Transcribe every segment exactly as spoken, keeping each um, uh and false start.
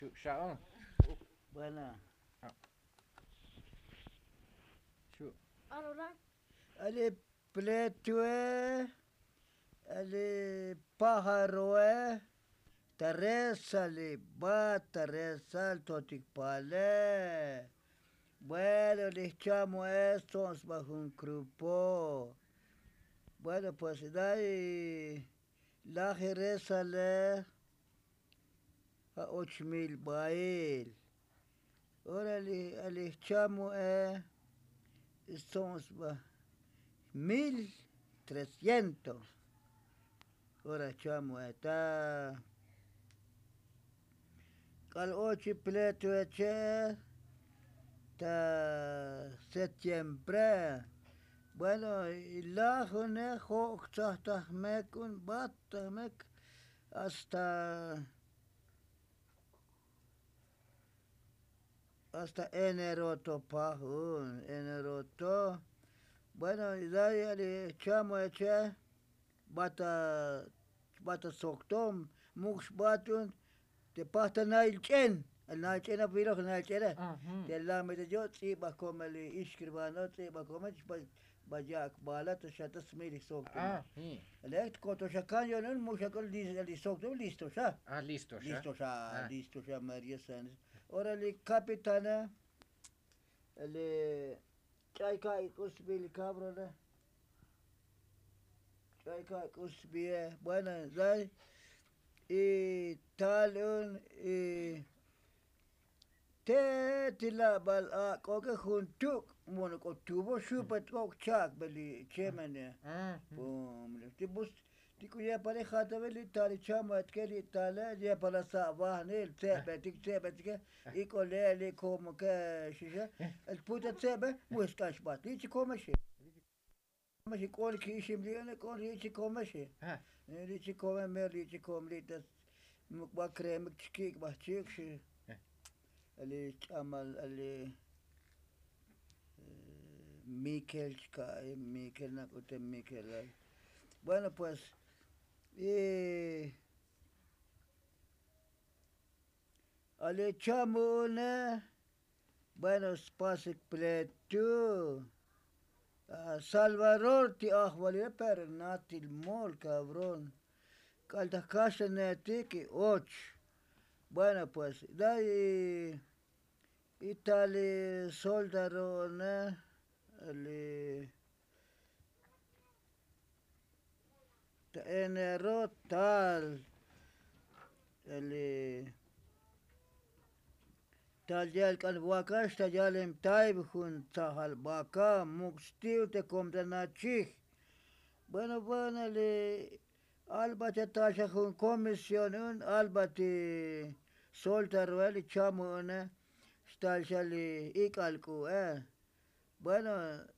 Xu' xa'o. Bueno. Xu'. Alole pletue, ale pajaroe, ta resali bat ta resal totik pale. Bueno, li jchamoe stso'on sba jun grupo. Bueno, pues day laji resale ja' och mil bail. Orale, ale jchamoe stso'on sba mil trescientos. Ora jchamoe ta k'al och pletue che ta septiembre. Bueno, lajune jo' ktsaj ta jmek un bat ta jmek hasta hasta enero to pajun enero to. Bueno, ya li jchamoe che bata bata soktom muk' xbatun te pajta nail ch'en. Nail ch'en apiloj nail ch'ene. Te lamete yo' ts'ibaj komel ixkirvano ts'ibaj komel ba ya'ak bala to xa ta smil soktom. Lek koto xa kan yo'nun muk' xa k'ol li soktom listo xa. Listo xa. Listo xa mario sanes. Ora li kapitane li ch'ay ka' k'u sbi li kabrone. Ch'ay ka' k'u sbie. Bueno, day y tal un y te ti labal ak'oke jun tuk' mono k'o tubo xupe t'ok cha'ak be li chemene. Ti bus ti k'u yepale jatave li tali chamo etke li tale yepala sa' vajnil tse'betik tse'betike. Ik'ole li komoke xixe el puta tse'be. Muxk'ax bat li chikomexe. K'ol ki'ixim li ene k'ol li chikomexe. Li chikome mer li chikom li ta muk ba kremik chikik' ba chik xi. Li ch'amal li mikel chka' mikel nak'ute mikel. Bueno pues y ale chamu'une. Bueno spasik pletu. Salvador ti ajvalile pero natil mol kabrón. K'al ta jkaxlanetik y och. Bueno pues day y tal li soldaro'one li ta enero tal li tal ya'el k'al vakax ta ya'lem tayb jun tsajal vaka muk' sti'u te kom ta nachij. Bueno bueno li alba che tal xa jun komision un alba ti soldaroe li chamu'une xtal xa li ik'al k'u'e. Bueno,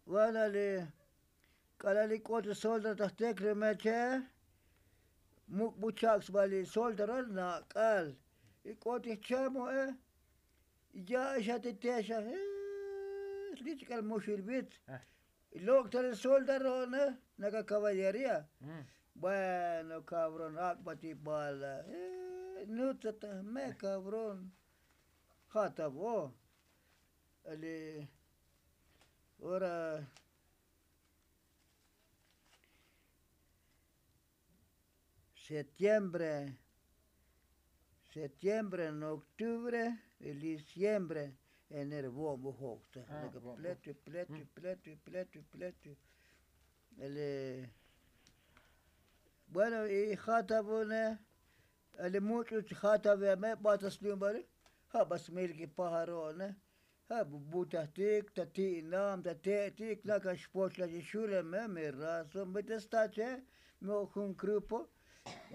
vana li k'ala' li k'oti soldado ta jtek li meche muk' bu chak' sba li soldado nak'al y k'oti jchamo'e. Ya' xa ti texa li chik'al muxil vit lok' ta li soldado'one naka caballeria. Bueno kabrón ak'ba ti bala nutsa ta jme kabrón. Ja' ta vo li ora septiembre septiembre en octubre y diciembre enero vo'on bu jokta. Pletu pletu pletu pletu pletu. Bueno y ja' ta vune li much'u ja' ta veme bata sliumbali. Ja' ba smil ki pajaro'one ja' bu butajtik ta ti'nam ta te'tik naka xpoch la chi xuleme mi razón bete sta che. Mi ok jun grupo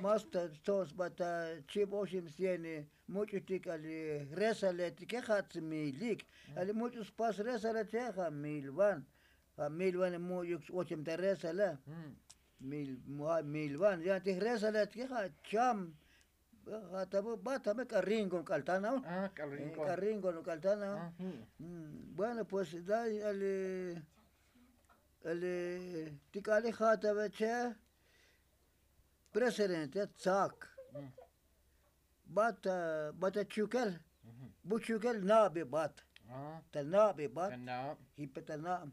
mas ta tso'on sba ta chib oxim cien much'utik ali resaletike ja' tsmilik. Ali much'u spas resaletike ja' mil van. Ja' mil van much'uk ochem ta resale. Mil van yan ti resaletike ja' cham. Ja' ta bu bat ta me k'a ringon k'al tana. K'a ringon k'al tana. Bueno pues day ali ti k'ali ja' ta ve che presidente tsak. bat bat ta chukel. Bu chukel nabi bat. Ta nabi bat. Jipe ta nab.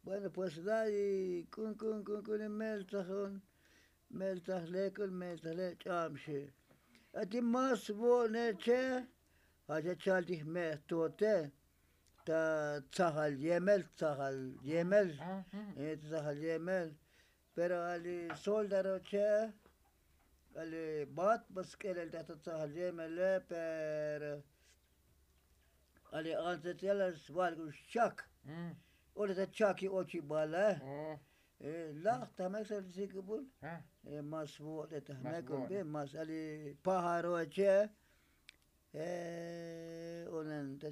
Bueno pues da' k'un k'un k'un k'un meltzajon. Meltzaj lek'un meltzaj le' ch'abxe. Ati mas vo'ne che'. Jacha chaltij me'jtote. Ta tzajal yemel tzajal yemel. Tzajal yemel. Pero ali soldado che'. Ali bat ba sk'elel ta tzajal yemele pero ali antzetzela svalk'u xchak. Ora ta chaki ochi bala. Laj ta mek sa sikubul. Mas vo'te ta mek un bi mas ali pajaro che'. Unen ta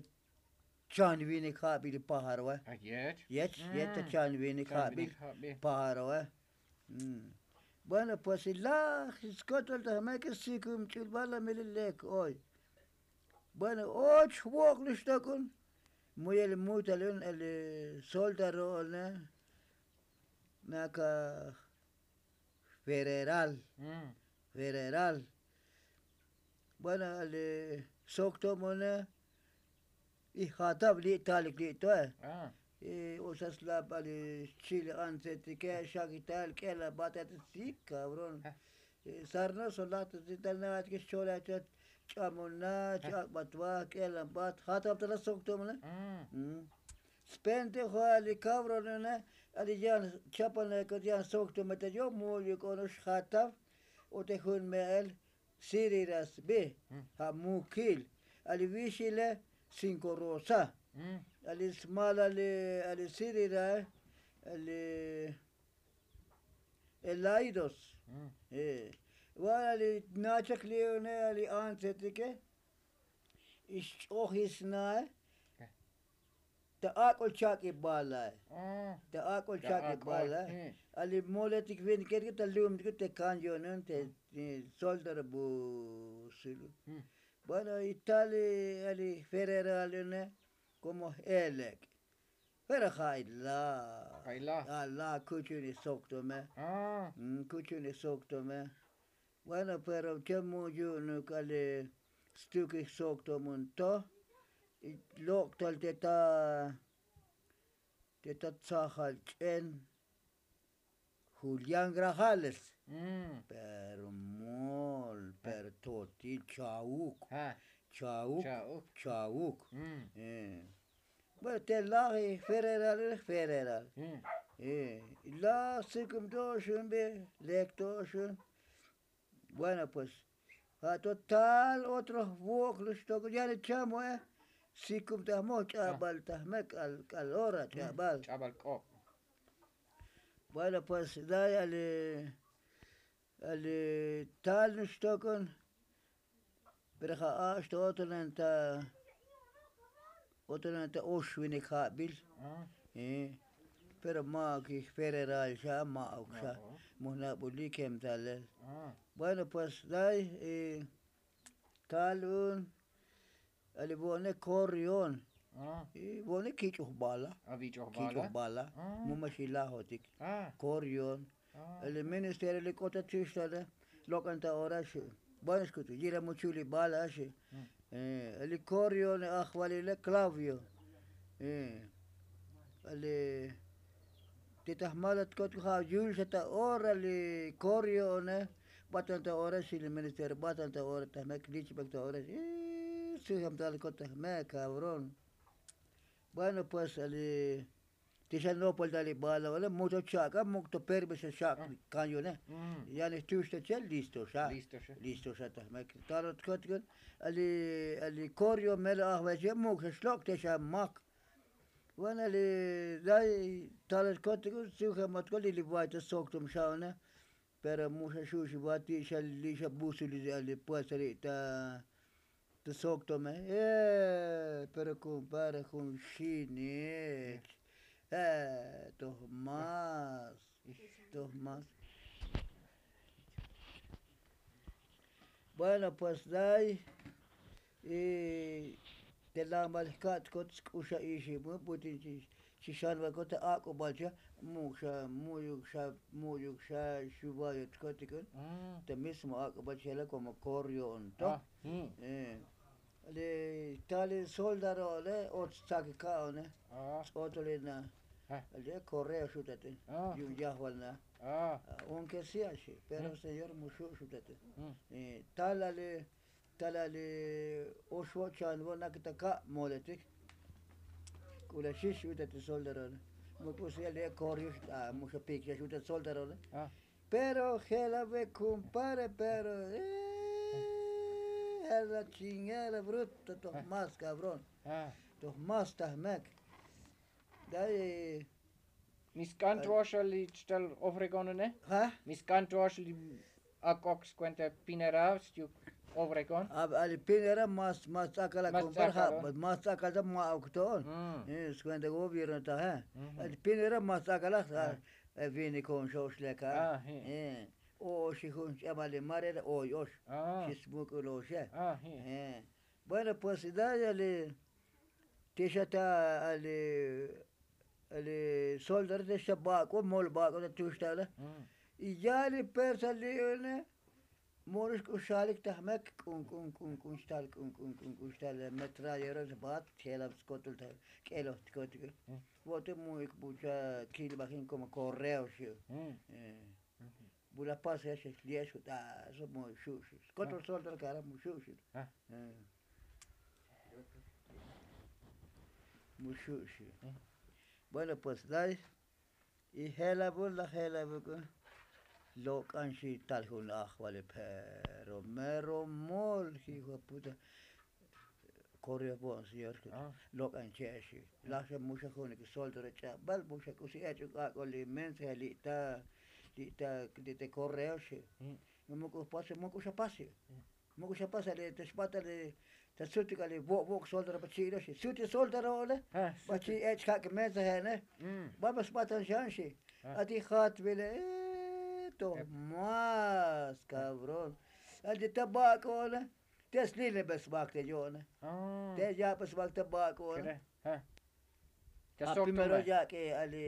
chan vinik jabil pajaro. Yech yech ta chan vinik jabil pajaro. Bueno pues laj skotel ta mek sikum ch'ul bala mili lek oy. Bueno och jvok'lux tok'un. Muyel muytalun el soldaro'one. Naka federal. Federal. Bueno el soktomone. Ijatav li' talik li' toe. Usa slabal li' xchil antzetike xakital k'ela batat si kabron. Sarnoso lajta si tal naat ke xchola chot. Ch'amona ch'ak'bat va k'ela bat jatav tala soktomone. Spente jo' ali kabronone. Ali yan chapane kot yan soktomete yo muyu k'onox jatav. O te jun me'el siriras bi. Ja' mukil. Ali vixile sinko rosa. Ali smalali ali sirirae. Ali elaidos. Va'al ali nachak li'une ali antsetike. Ixch'ojisnae. Ta ak'ol chak'ibalae. Ta ak'ol chak'ibalae. Ali moletik viniketik ta lumtik te kan yonen te soldar bu silu. Bueno y tal ali federal yone. Komo j'elek'. Pero ja' ilaj. Ja' ilaj kuchun isoktome. Kuchun isoktome. Bueno pero che' mu'yu'nuk ali stukij soktomun to. Lok'tal te ta te ta tzajal ch'en. Julián grajales. Pero mol pero totil chauk. Chauk chauk. Bueno te laj federal federal. Laj sikum to'oxun bi lek to'oxun. Bueno pues ja' to tal otro jvok'lux tok'un yani chamoe. Sikum ta jmoj ch'abal ta jmek k'al ora ch'abal. Bueno pues day ali ali tal nux tok'un. Pero ja' a'ax ta otonen ta otonen ta oxvinik jabil. Pero ma'uk ij federal xa ma'uk xa. Mujnabulik jem talel. Bueno pues day tal un. Ali vo'ne korrion. Vo'ne kich'uj bala. Kich'uj bala. Muma xilajotik. Korrion. Ali ministerio li k'ota chixtale. Lok'an ta ora xi. Bueno xkutu yira muchuli bala xi. Ali korrion ajvalile klavio. Ali ti ta jmalat kot ja' yul xa ta ora li korrione. Batan ta ora xi li ministerio batan ta ora ta jmek lichbek ta ora xi. Sujam tal kot ta jmek kabron. Bueno pues ali ti xa nopol tal li bala ole mukto chak'a mukto permiso xak' kan yone. Yani jtuxto che listo xa. Listo xa ta jmek talot kot kun. Ali ali korrio melo ajval che muk xa xlok' te xa mak. Bueno li day talot kot kun sujam ot kol li li vayta soktom xa one. Pero mu xa xuxi vati xa li xa busu li ali puesta li ta ta soktome. Pero kumpare jun xinik. Toj mas toj mas. Bueno pues day. Te lambal jka'tkot sk'uxa ixi mu butin chi. Chixan va kota ak'ubal cha mu'uk xa mu'yuk xa mu'yuk xa xuvayotkotikun. Ta mismo ak'ubal chela komo korrion to. Li tal li soldaro le och tsaki ka'one. Ts'otolina. Li korreo xutatin. Yu'un yajval na. Aunke sia xi pero señor mu xu' xutatin. Tal ali tal ali oxvo' chan vo' nakita ka' moletik. K'ula xix utatin soldarone. Mu k'usi ali korreo xut'a mu xapik xa xutatin soldarone. Pero jela ve kumpare pero jela chingera bruta toj mas kabrón. Toj mas tajmek. Day. Misk'an chuoxel li chtal ofregonone. Misk'an chuoxel li ak'ok skuenta pinera stuk ofregon. Ali pinera mas mas ts'akala kumpare ja mas ts'akala ta ma'ok to'on. Skuenta gobierno taje. Ali pinera mas ts'akala. Vini kon xo'ox leka. Oxi jun ch'abal li marera oy ox. Xi smuk'ul oxe. Bueno pues daya li tixa ta ali ali soldar tixa bak'u mol bak'u ta tuxtala. Y ya li persa li'une. Molux k'u xalik ta jmek k'un k'un k'un k'un xtal k'un k'un k'un k'un xtal metrayero bat jela skotol ta k'eloj tikotik. Vo'te mu'ik bucha kilbajin komo korreo xi. Bula pasa ya xi liex jut'aso mu xu'xi skotol soldar kara mu xu'xi. Mu xu'xi. Bueno pues lay. Y jela vul laj jela vuk'u lok'an xi tal jun ajvali pero mero mol jijo puta. Korreo vo'n señor lok'an che'exi. Laj xa muxa junik soldaro ch'abal muxa k'usi ech'uk ak'o li mensaje li' ta li' ta li' ta korreo xi. Muk'u pasi muk'u xa pasi. Muk'u xa pasa li ta xb'at ta li ta sutik ali vo' vo' soldaro pa chi'lo xi sutik soldaro ole. Pa chi' ech' jak' mensaje ne. B'ab'a xb'atan xan xi. Ati jat vile to mas kabrón. Ati ta b'ak'o ole. Te slile b'e sb'ak te yo'ne. Te yab'e sb'ak ta b'ak'o ole. Primero yak'e ali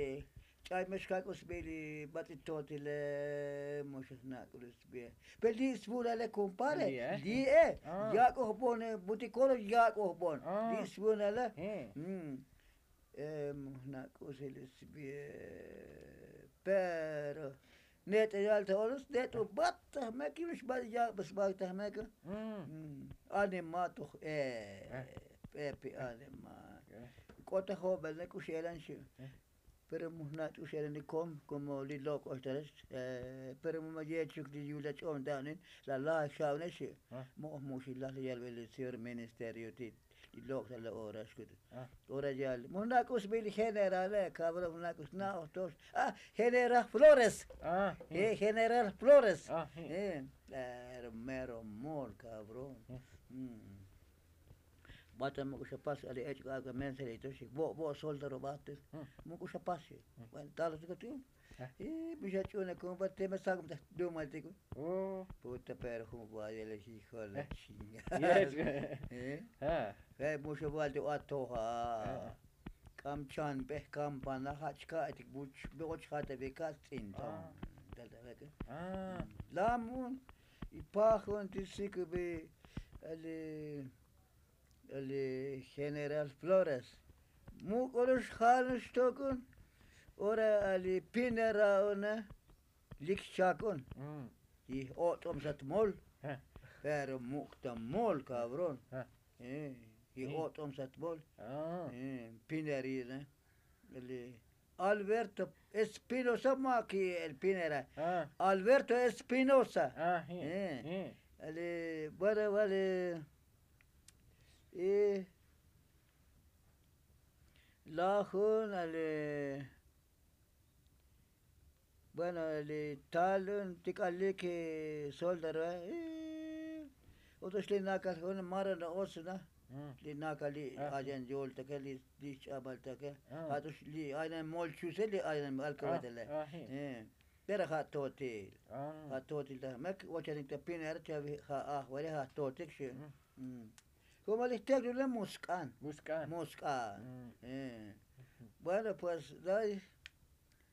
ch'ay me xkak'u sbi li batz'i totile. Mu xajnak'u li sbi. Pe li' svulale kumpare li'e. Yak'u jbon butikolo yak'u jbon li' svulale. Mu jnak'u si li sbi. Pero ne't'eyal ta olos ne't'u bat tajmek yu'un xbat yak'be sbat tajmek. Anima toj e p'epi anima. K'ot ta jobel ne k'u xelan xi. Pero mu jna' t'u xelan li kom komo li lok'ox talex. Pero mu ma yechuk li yul ach'om ta'nin la lajik xa'une xi. Mo'oj mu xi laj li yalbe li señor ministerio ti' li lok' ta la ora xkut. Ora yal mu jna' k'u sbi li generale kabrón mu jna' k'u xna'oj tox. General flores. General flores. Mero mol kabrón. Bata mu k'u xa pas ali ech' k'u ak'o mensaje li tox vo' vo' soldaro bata. Mu k'u xa pas xi. Bueno talo tiko ti'. Mixach'une kumpare teme sak'um ta dumal tiko. Puta pero jun vayele hijo la chingada. Muxa valti atoja. K'am chanb'ej kampana ja' chka'etik buch b'och jatabe ka' stz'inton. Lamun y pajun ti sikbi ali ali general flores. Muk'ulux janux tok'un. Ora ali pinera una lik xchak'un. Yij ot'om sat mol. Pero muk' ta mol kabrón. Yij ot'om sat mol. Pinerina. Alberto espinosa ma' ki el pinera. Alberto espinosa. Vale vale. Lajun ali bueno li talun tik'alik soldaroe. Otox li nakal jun mara na otsna. Li nakal li ayan yoltake li xch'abaltake. Ja'tox li ayan molchuse li ayan alkabetele. Pero ja' totil. Ja' totil ta mek ochanik ta pinera chavi ja' ajvale ja' totik xi. Komo li jteknule musk'an. Musk'an. Musk'an. Bueno, pues day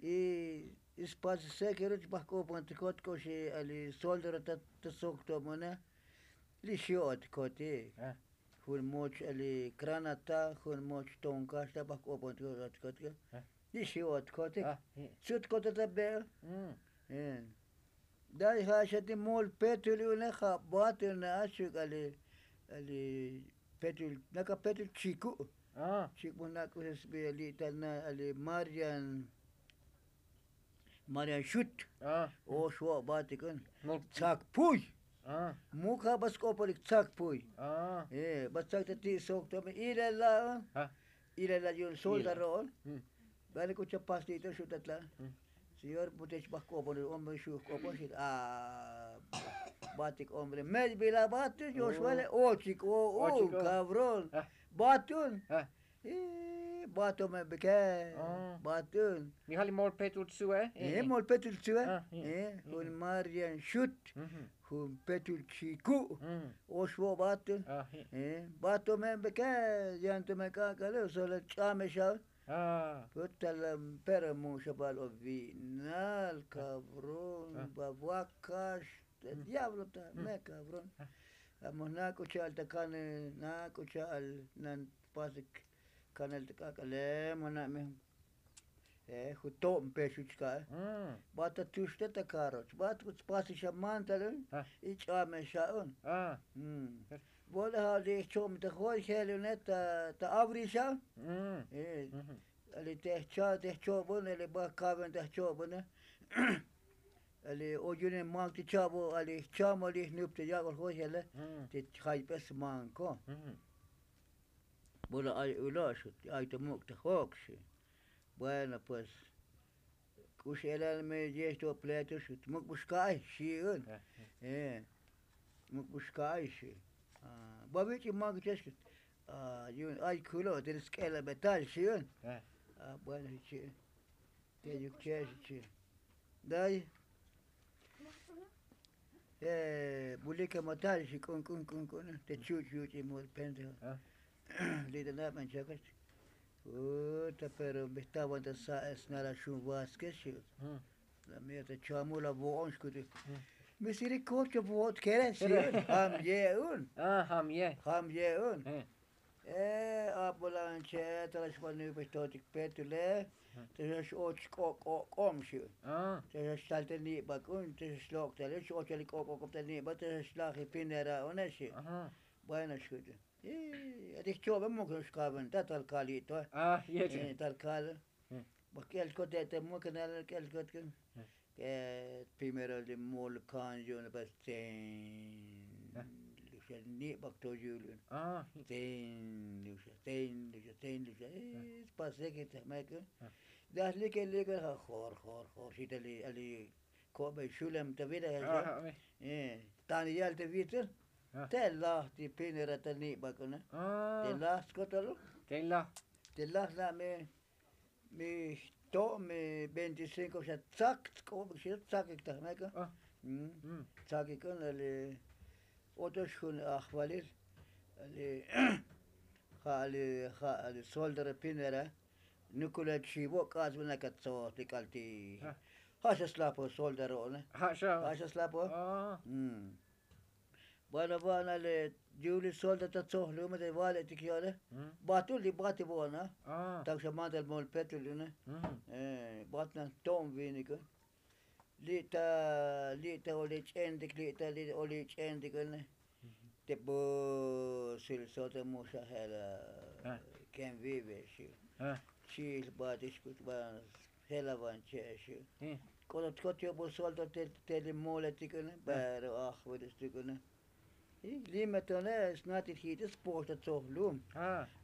y ispasisek yeruch bajk'opontikot k'oxi ali soldero ta soktomone. Li xio'otikotik jun moch ali kranata jun moch tonkaxta bajk'opontikot. Li xio'otikotik. Sutikotat ta be'o. Day ja' xa ti mol petul une ja' batul ne achuk ali ali petul naka petul chiku'. Chik'bun nak'uxesbi ali ta na ali marian marian xut. Oxwo' batik un. Tzakpuy. Muk ja' ba sk'opolik tzakpuy. Ba tzak ta ti' sok to me ilala' un. Ilala' yu'un soldaro'on. Bani k'u chapasli'to xutat la'. Señor butech bajk'oponil hombre xuj k'opoxil. Batik hombre mech bila batik yoxvale ochik o'un kabron. Batun. Batome bike. Batun. Mijal mol petul tzue. Mol petul tzue. Jun marian xut. Jun petul chiku'. Oxvo' batun. Batome bike. Yantome k'ak'ale sole ch'ame xa. Puta la. Pero muxabal o vinal kabron ba vakax. Diablo ta me kabron. Amo nak'u cha'al ta kane nak'u cha'al nan pasik kanel ta k'ak'ale mo na'me. Juto'm pexuch ka'e. Ba ta tuxte ta karoch ba ta kutspasi xa mantal un. Y ch'ame xa'un. Vole ja' li jcho'm ta joy jel une ta abri xa'un. Ali te jcha' te jcho'bun ali ba kaven ta jcho'bune. Ali oyune mak ti cha'bo ali jchamo li jnup te yak'ol joy jele. Te jayp'es manko. Bula ay ulo' xi ay ta muk' ta jok xi. Bueno pues k'u xi elal me yej to pleto xi muk' bu xka'ay xi'un. Muk' bu xka'ay xi. Ba vich'i mak chex. Yu'un ay kulo' te sk'ela' betal xi'un. Bueno xi. Te yuk chex xi. Day bulike matal xi k'un k'un k'un k'un te chuch' yuch'i mul pendejo. Li ta naben chakax. Uta pero bejtawan ta sa'es nala xun vaske xi. La mia ta chamul la vo'on xkuti. Misericordia vo'ot kere xi. Jam ye'un. Jam ye'un. Abulanche ta la xbanubix totik petule. Te xa x'och k'ok'ok'om xi. Te xa xtal te nib'ak un te xa xlok' tale x'och ali k'ok'ok'om te nib'ak te xa xlaj pinera une xi. Bueno xkuti. Ati jcho'be muk xkaben ta tal kal yi'to. Tal kal. Bak k'el kote te muk nal k'el kot. Primero li mol kan yu'un pues tsen. Li xa nib'ak to yul yu'un. Tsen li xa tsen li xa tsen li xa. Spasek te jmek. Daj like like ja' jor jor jor xita li ali ko'be xulem ta vida. Tan yal te vitel. Te laj ti pinera ta nib'ak una. Te laj skotalo. Te laj la me. Mi jto' mi veinticinko xa tzak tzk'ub xi tzakik ta jmek. Tzakik un ali. Otox jun ajvalil ali. Ja' ali ja' ali soldero pinera. Nukulel chivo k'atsb'il nakatzoj ti k'al ti. Ja' xa slaj po soldero one. Ja' xa slaj po. Bueno va'na li yuli solda ta tzojlume te vale' tik yo'le. Batul li bati vo'na. Tak xa mandal mol petul une. Batna to'm vinik un. Li' ta li' ta oli ch'entik li' ta li' oli ch'entik une. Te busil solda muxa jela. Ken vive xi. Chil bati xkut ba jela van che xi. K'ototkot yo'bul solda te li moletik une pero ajvilis tik une. Lime tone snatil jit'is poxta tzoj lum.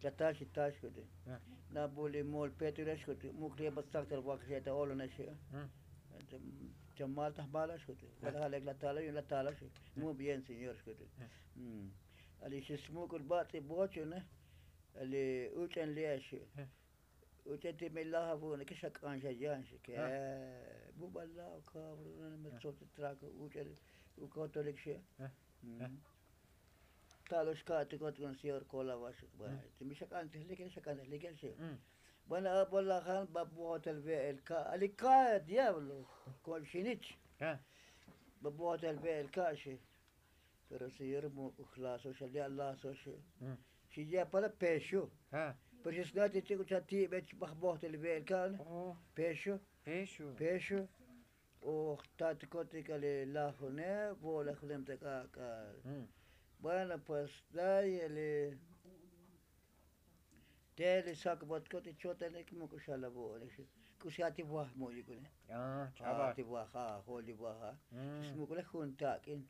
Tla taxi taxkuti. Na buli mol petu lexkuti muk li ba tzaktal wakaxe ta olone xi. Chamal ta jmala xkuti. Wala jalek la tala yun la tala xi. Mu bien señor xkuti. Ali xi smuk'ul batz'i bochune. Ali uch'en li' xi. Uch'en ti mi laj avu'une ke xak'an xa yan xi ke. Bubal la kabron me tzoj ti trako uch'en. Ukotolik xi. Ta'lo xka'tikot kun señor kolavax. Bueno ti mi xak'antejlik xak'antejlik xi. Bueno, a bolajan ba bojotel ve'el ka' ali ka' diablo. Ko'ol xinich. Ba bojotel ve'el ka' xi. Pero señor muk'ujlaso xa li' alaso xi. Xi ya' pala pexu. Pero xi snati chik'u cha ti'bech baj bojotel ve'el ka' pexu. Pexu. Oj tat kotik ali lajune vo'laj junem ta k'ak'al. Bueno pues day ali. Te li sakbot kotik chotanik muk'u xala vo'laj xi. K'usi ati vaj mu'yukune. Ati vaj a joli vaj a. Smuk'ule jun tak'in.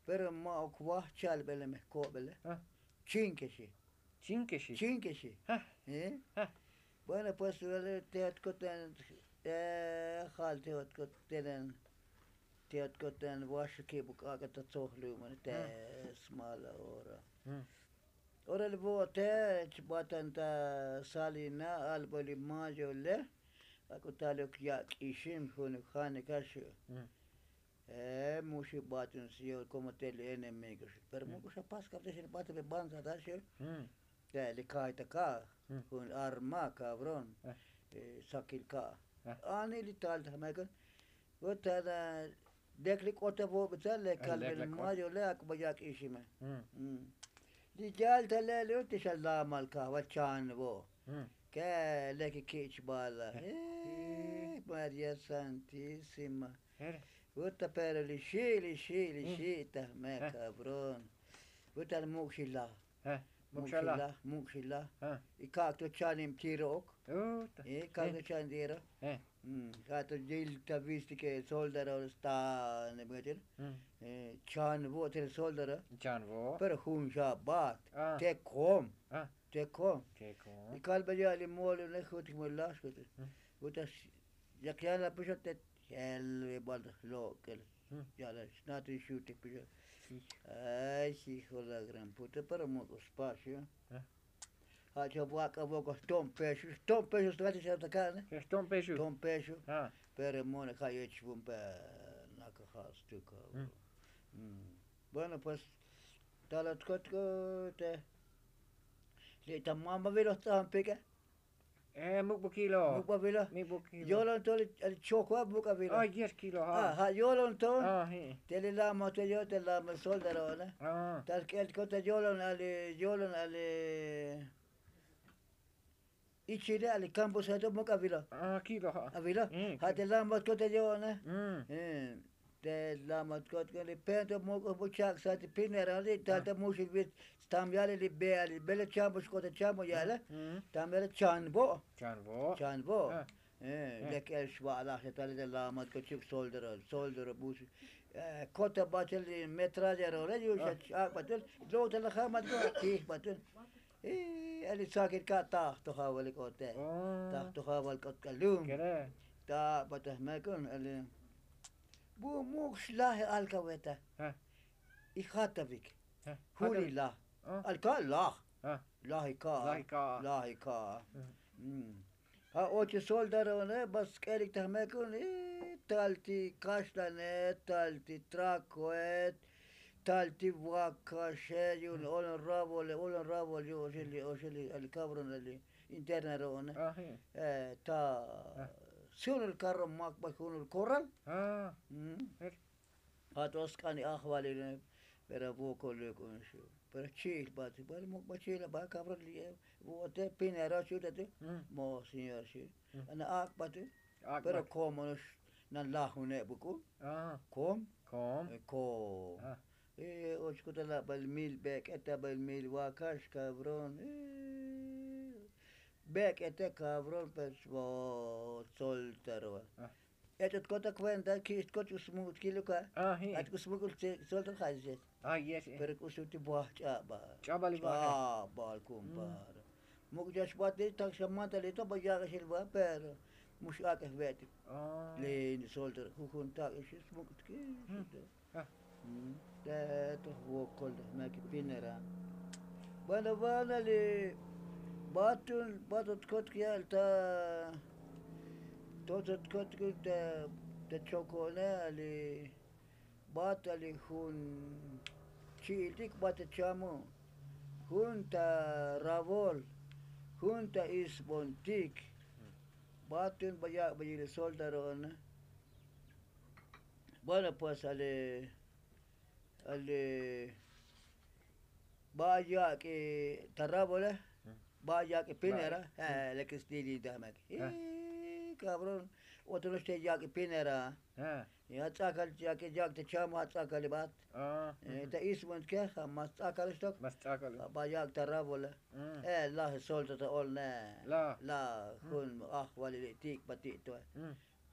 Pero ma'uk vaj chalbele me jkobele. Chinke xi. Chinke xi. Chinke xi. Bueno pues te ot koten jal te ot koten te ot koten waxukib k'ak'a ta tzojlubone te smala ora. Ora li vo'ote chbatan ta salina albo li mayo le. Ak'u taluk ya' k'ixim jun janika xu. Muxi batin señor komo te li enemigo xi pero muk'u xa pas kapte xi li batin be banza ta xi. Te li kayta ka' jun arma kabrón. Sakil ka' ani li tal ta jmekon. Vuta la lek li k'ota vo'bitsa le kalbel mayo le ak'u ba ya' k'ixime. Li yal ta le li uti xa lamal kajval chan vo'. Ke lek kichbala. Maria santísima. Vuta pero li xi' li xi' li xi' ta jme kabrón. Vuta li muk' xi laj. Muk' xi laj muk' xi laj. Y kak' to chanib tiro ok. Kak' to chanib tiro. Ja' to yil ta vistike soldaro stanib. Chan vo' te soldaro. Pero jun xa bat te kom. Te kom. Y kalbe ya' li moli une jutik moli laj xkute. Vuta yak yala pixote. Yel ve bal ta jlok'el. Yala xnati xutik pixote. Ay xi jolagran pute pero muk'u spas xi. Ja' cha vak'a vok'o jto'on pexu jto'on pexu. Jto'on pexu. Jto'on pexu. Pero mone ja' yoch vun pe. Naka ja' stuka. Bueno pues. Talot kot te li' ta mamba vilo jtz'an pike. Muk'bukilo. Muk'bukilo. Yolon to li chokwa muk'abilo. Ja' yolon to. Te li lama to yo te lama soldarone. Ta sk'el kot ta yolon ali yolon ali ichile ali kampo santo muk'abilo. Avilo. Ja' te lama kot ta yolone. Te lama kot li pento muk'u buchak sati pinera li tal ta muxil vit. Stam yale li be ali bele chambo xk'ota chambo yale. Stam yale chanbo. Chanbo. Chanbo. Lek el xva'laj xetale te lama kot chuk soldero soldero busi. Kota bachel li metralla role yu xa ch'ak' batul. Lo' ta la jamat ko tij batul. Ali sakil ka' taj to javal k'ote. Taj to javal k'ot kalum. Ta' bataj mekon ali. Bu muk' xlaj alkaweta. Ijatavik. Juli laj. Alka' laj. Laj ika'. Laj ika'. Ja' ochi soldarone ba sk'elik ta jmekun. Tal ti kaxlanet tal ti trakoet. Tal ti vakaxe yu'un olon ravole olon ravol yu'un oxel oxel ali kabron ali. Interna ro'one. Ta sunul karro mak ba junul koral. Ja' to sk'an li ajvalil. Pero vokol li k'un xu pero chi'il ba ti ba li muk' ba chi'il ba kabron li. Vo'ote pinero xu ta ti. Mo señor xu. Ana ak' ba ti. Pero komo nox nan lajune' buk'un. Kom. Kom. Kom. Ochkota la bal mil bek'eta bal mil vakax kabron. Bek'eta kabron pero soltero. Ech'ot kota kuenta ki'ix kot ch'u smuk'ut kiluka. Ach k'u smuk'ul soltero ja' yet. Pero k'u suti baj ch'abal. Ch'abal kumpar. Muk' chachbat li tak xa mantalito ba yak'axil ba pero. Mux ak'ej ve'tik. Li soltero jujun tak'ixil smuk'ut kiluka. Te to jvokol de jnakipinera. Bueno bueno li batul batul tkot ya'al ta. Totot tkot ta chokone ali. Bat ali jun chi'iltik bat ta chamu. Jun ta ravol. Jun ta isbontik. Batin ba yak'ba yili soldaro'one. Bueno pues ale ale ba yak'i ta rabole. Ba yak'i pinera. Lek stilita mek. Kabrón. Otro nox te yak'i pinera. Ya ts'akal yak'i yak'i te chamo ats'akal ibat. Ta isbontik ja mas ts'akal xtok. Ba yak'i ta rabole. Laj solta ta olne. Laj jun ajvalili' tik'ba ti' to.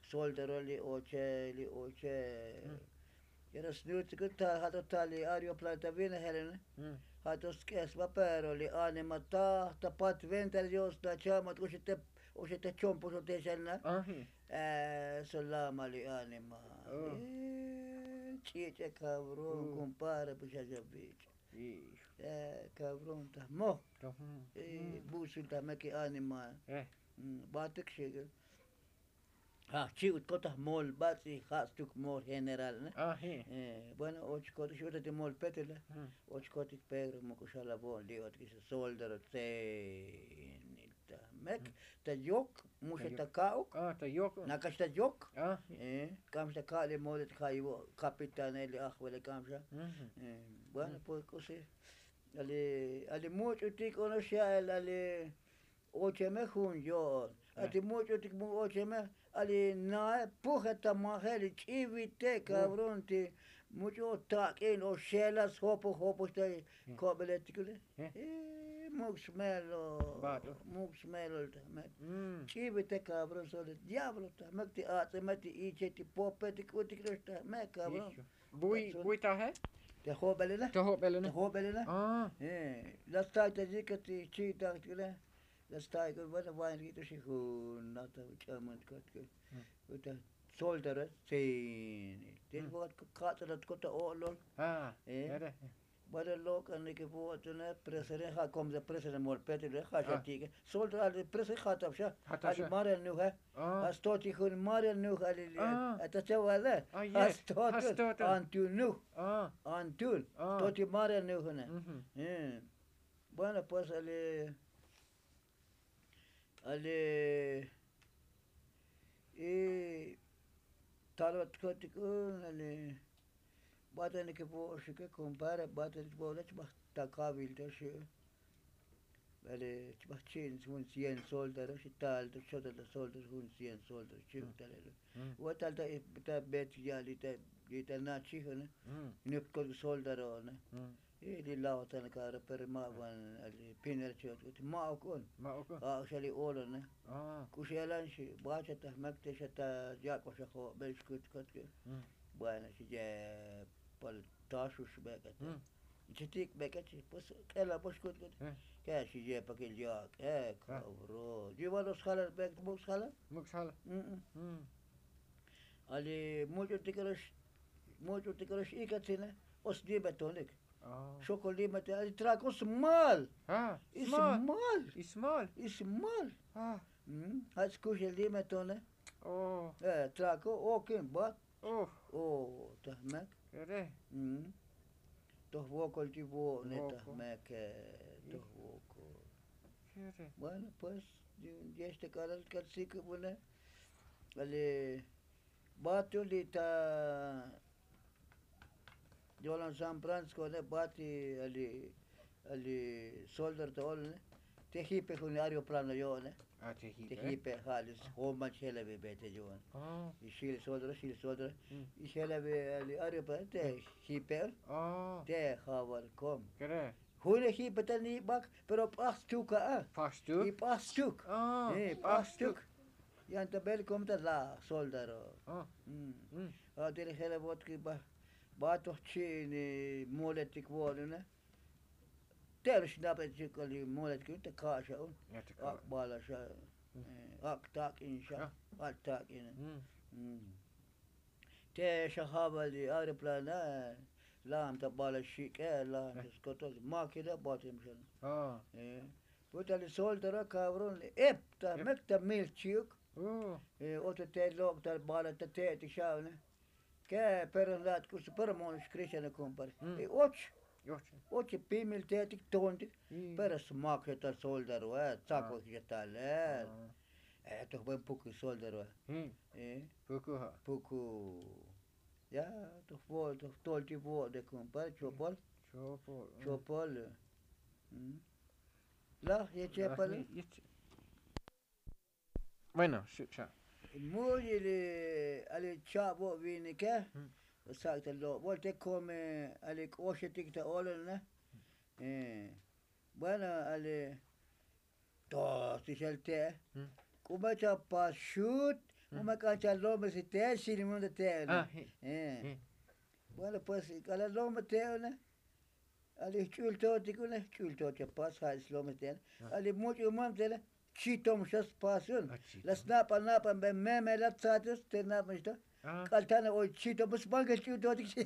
Soltero li oche li oche. Yero snuts kut ta ja' to ta li ario plata vine jelene. Ja' to sk'esba pero li anima ta ta pat venta dios ta chama t'uxi te. Oxe te chompo xo te xelna. Solama li anima. Ch'ich'e kabron kumpare puxaxa vich'. Kabron ta jmo. Buxul ta jme ki anima. Batik xi. Jajchi'ut kotaj mol bats'i jatz tuk mol general ne. Bueno och kotaj xi uta ti mol petele. Och kotaj pedro muk'uxal avo'n li' ot kix soldero tsenil ta mek ta yok. Muxe ta ka'uk. Nakax ta yok. K'amxa ta ka'li mol li' ta ja'ivo' kapitanel li' ajvele k'amxa. Bueno pues k'usi ali much'utik onox ya'el ali ocheme jun yo'on. Ati much'utik mu ocheme ali nae puje ta majeli ch'ivite kabron ti much'u o tak'in o xelas jopo jopo xta. Ko'beletikule. Muk' smelo. Muk' smelo ta jmek. Ch'ivite kabron sole diablo ta jmek ti ats'eme ti iche ti pope ti k'utik lox ta jmek kabron. Buy buy taje. Te jo'belele te jo'belele. La stay ta yike ti chi'taktikule. La stay k'u bueno vayan k'i t'uxi jun nata ch'aman tkot k'u. Uta soltero tsin ti katz'elat kota o'lol. Bueno lok'anik vo'tune presere ja' kom ta presere mol petile ja' xa tik'e. Soltero ali presere ja' tap xa. Ali marel nuje. Ja' stoti jun marel nuj ali li' ta chawale. Ja' stot antun nuj. Antun stoti marel nujune. Bueno pues ali ali y talot kotik un ali. Batanik vo'oxike kompare batanik vo'oxike chbaj ta kavil to xi'. Bale chbaj chi'in jun cien soldaro xi tal to chotal ta soldaro jun cien soldaro chi'uk talelo. Vo'oxik tal ta bet ya'li ta nachijone. Nuk'kot soldaro'one. Li' laotan karo pero ma' van ali piner chot k'ut ma'uk un. Ak'xa li' olone. K'u xelan xi bacha ta jmak te xa ta yak'oxa jo'bel xkut kot k'u. Bueno xi ye pal taxux bek'et. Chitik' bek'et xi pues k'ela box kut kut. Ke xi ye pakil yak'e kabro yivalos jalan bek'et muk' sjalan. Muk' sjalan. Ali much'u tik'elox much'u tik'elox ikatsine. Os limetonik. Xokol limetonik ali trakos mal. Ismal. Ismal. Ismal. Jach kuxel limetone. Trako okin bat. O ta jmek. Toj vokol ti vo'ne ta jmek. Toj vokol. Bueno pues. Yex te k'alal k'al sikubune. Ali batu li' ta yolan san francisco ne bati ali ali soldar ta olone. Te jipe jun aeroplano yo'one. Te jipe ja' li joman chjelavi bete yo'one. Y xil soldar xil soldar y chjelavi ali aeroplano te jipe. Te javal kom june jipe ta nibak pero p'aj stuk a'a. P'aj stuk. P'aj stuk. Yan ta bel kom ta la soldaro. A'tele jelavot ki ba ba toj chi'in moletik vo'lune. Te'el xnabel chik'ol moletik ta ka'xa un. Ak' bala xa. Ak' tak'in xa. Ak' tak'in. Te xa jabal li aeroplana. Lam ta bala xik'e lam ta skotol makina batim xa. Puta li soldaro kabron li ep ta mek ta mil chi'uk. Otro te lok' ta bala ta te'tik xa'une. Ke pero lat k'usi pero mo'on xkristiano kompare. Y och. Oche pimil te'etik tontik. Pero smak xa ta soldaroe, tsakwejik xa tal. Toj buen puku soldaroe. Puku. Ya toj vo' toj toltik vo'de kumpare chopol. Chopol. Laj yechepale. Bueno, xu' xa. Mu'yi li ali cha'bo' vinike. Sak' ta lo'bol te kome ali k'oxetik ta olone. Bueno, ali to si xel te'e. K'u me cha pas xut. Mu me k'an cha lome si te'e xilimun ta te'e. Bueno, pues k'ala lome te'e one. Ali jch'ultotik une jch'ultot cha pas ja' ix lome te'e one. Ali much'u mam te'e one. Chitom xa spas un. La snapa' napa' be meme la tsatus te napa' xto. K'al tana oy chitom sbankel ch'utotik xi.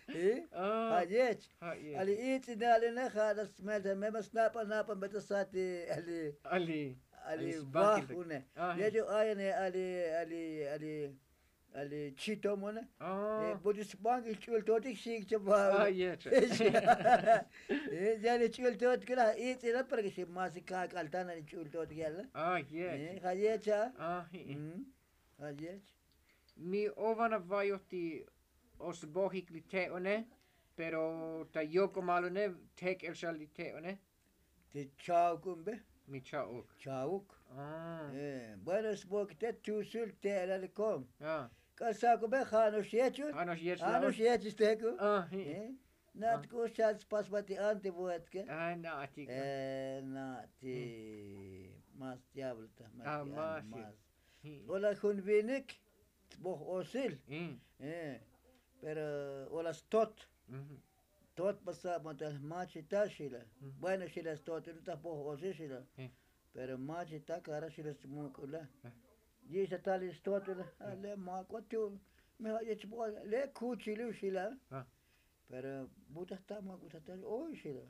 Ja' yech. Ali itz'inal une ja' la smel ta meme snapa' napa' be ta sati. Ali ali vaj une. Yech u ayane ali ali ali ali chitom une. Buti sbankel ch'ultotik xi. Chaba. Ya li ch'ultotik la itz'inal para ke xi masi ka k'al tana li ch'ultotik yala. Ja' yech a. Ja' yech. Mi ovan avayoj ti osbojik li te'one. Pero ta yokomal une tek'el xa li te'one. Ti cha'uk un be. Mi cha'uk. Cha'uk. Bueno sbojik te tusul te'elal kom. K'al sakube ja' no'ox yech un. Ja' no'ox yech un. Na'tik k'u xal spasba ti anti vuetke. Na'tik. Na'tik mas diablo ta mas. Ola jun vinik. Boj osil. Pero ola stot. Tot pasab ma tal machita xila. Bueno xila stot ta boj osil xila. Pero machita kara xila smuk'ula. Yixta tal stot ula. Ale mak'o tu. Me ja' yech boj le kuchilu xila. Pero butaj ta ma butaj ta oy xila.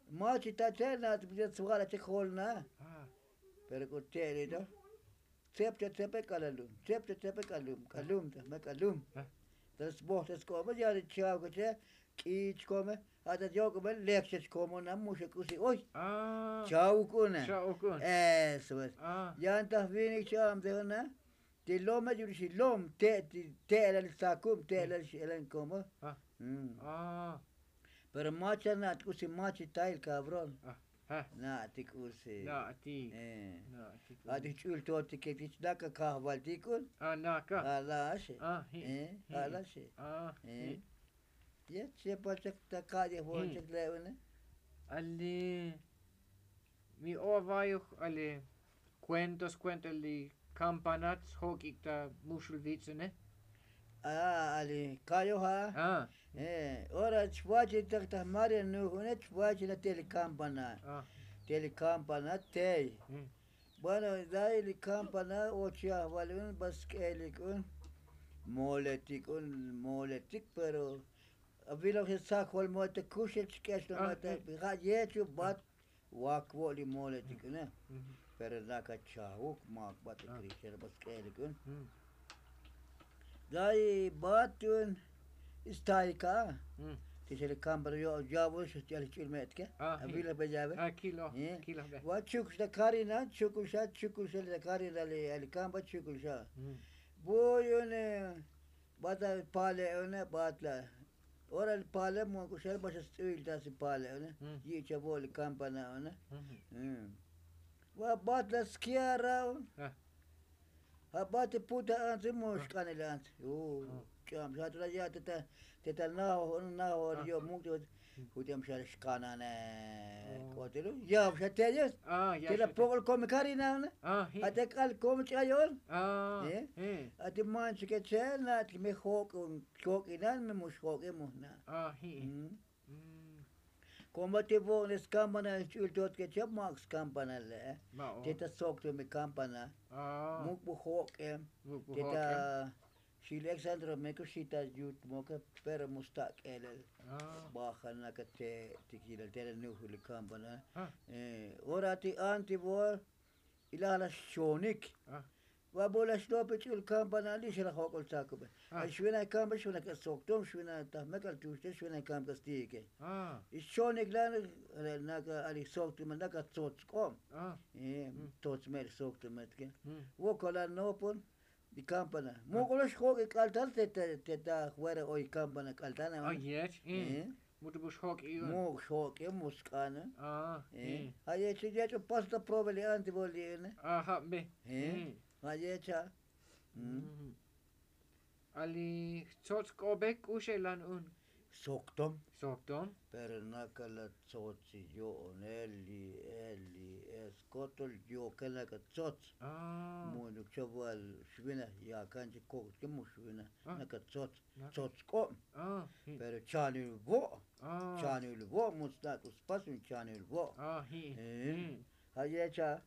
Machita che na butaj swala che jol na. Pero k'u te'elito. Tsep cha tsepe k'alalum tsep cha tsepe k'alum k'alum ta me k'alum. Ta sboj ta sk'omo ya ri chaw kache. K'ich kome. Ja' ta yok'ome lek chech komo na muxe k'usi oy. Chaw k'une. Eso es. Yan ta jvinik cha'am te juna. Ti lome yurixi lom te' ti te'elal sakub te'elal xi elan komo. Pero mach ta na'tik k'usi mach itayil kabrón. Na'tik k'usi. Na'tik. A'tik ch'ultotik kech naka kajvaltik k'un. Alaxi. Alaxi. Yet chepal chek ta ka'ye jvol chek le'une. Ali. Mi o avayoj ali. Kuentos kuenta li kampanat sjok'ik ta muxul vitz'une. A ali kayo ja'. Ora chvach li tak ta maria nuj une chvach la te li kampana. Te li kampana tey. Bueno, day li kampana o chi ajval un ba sk'elik un. Moletik un moletik pero avilo je' sajol moletik kuxel chk'ex no moletik ja' yechu bat. Wak vo' li moletik une. Pero naka chajuk mak bat li krixel ba sk'elik un. Day bat un. Istayka. Ti xel kampana yo' yavo xel ch'ul me'tke. Avilo be yave. Va chukux ta karina chukux xa chukux xel ta karina li kampa chukux xa. Buy une. Bat la pale' une bat la. Ora li pale' muk'uxel ba xa sts'uil ta si pale' une. Yi'cha vo' li kampana une. Va bat la skiara un. Ja' bat ti puta antsi mu xk'anil antsi. Ch'am xa tu la ya' te ta najoj un najoj yo' muk' Jutem xa xkanane. K'otilu yaw xa teyes. Ti la pok'ol komi karina una. Ate k'al komi ch'ayon. Ati manchike che na ti me jok'un jok'inan me mux jok'e mujna. Komo ti vo'ne skampana ch'ul tot ke che mak skampana le. Ti ta sok tu mi kampana. Muk bu jok'e. Ti ta Xi li exandro meko xi ta yut moke. Pero mu sta' k'elel. Baja naka te' ti kilel te' la nuju li kampana. Ora ti anti vo. Ilaj la xchonik. Va bolaxlopi ch'ul kampana li' xalajok'ol tsakube. Ay xvina' kampa xvina' k'a soktom xvina' ta mek'al tuxte xvina' kampa k'a stike. Ixchonik la' naka ali soktom naka tsots k'ob. Tsots me'l soktom etke. Vokola nopon. Di kampana muk'ulo xjok'i k'altal te ta fuera oy kampana k'altal. Muk' xjok'i mu sk'ana. Ja' yech yech' u pasta probeli anti voli'ene. Ja' yech ja'. Ali jtsots k'obe k'uxelan un. Soktom. Soktom. Pero nakala tsots yo'on eli eli eskotol yoke naka tsots. Munuk chobal xvina yakan chi kok'tke mu xvina naka tsots. Tsots k'ob. Pero chanil vo'. Chanil vo' mu tsnak' u spas un chanil vo'. Ja' yech ja'.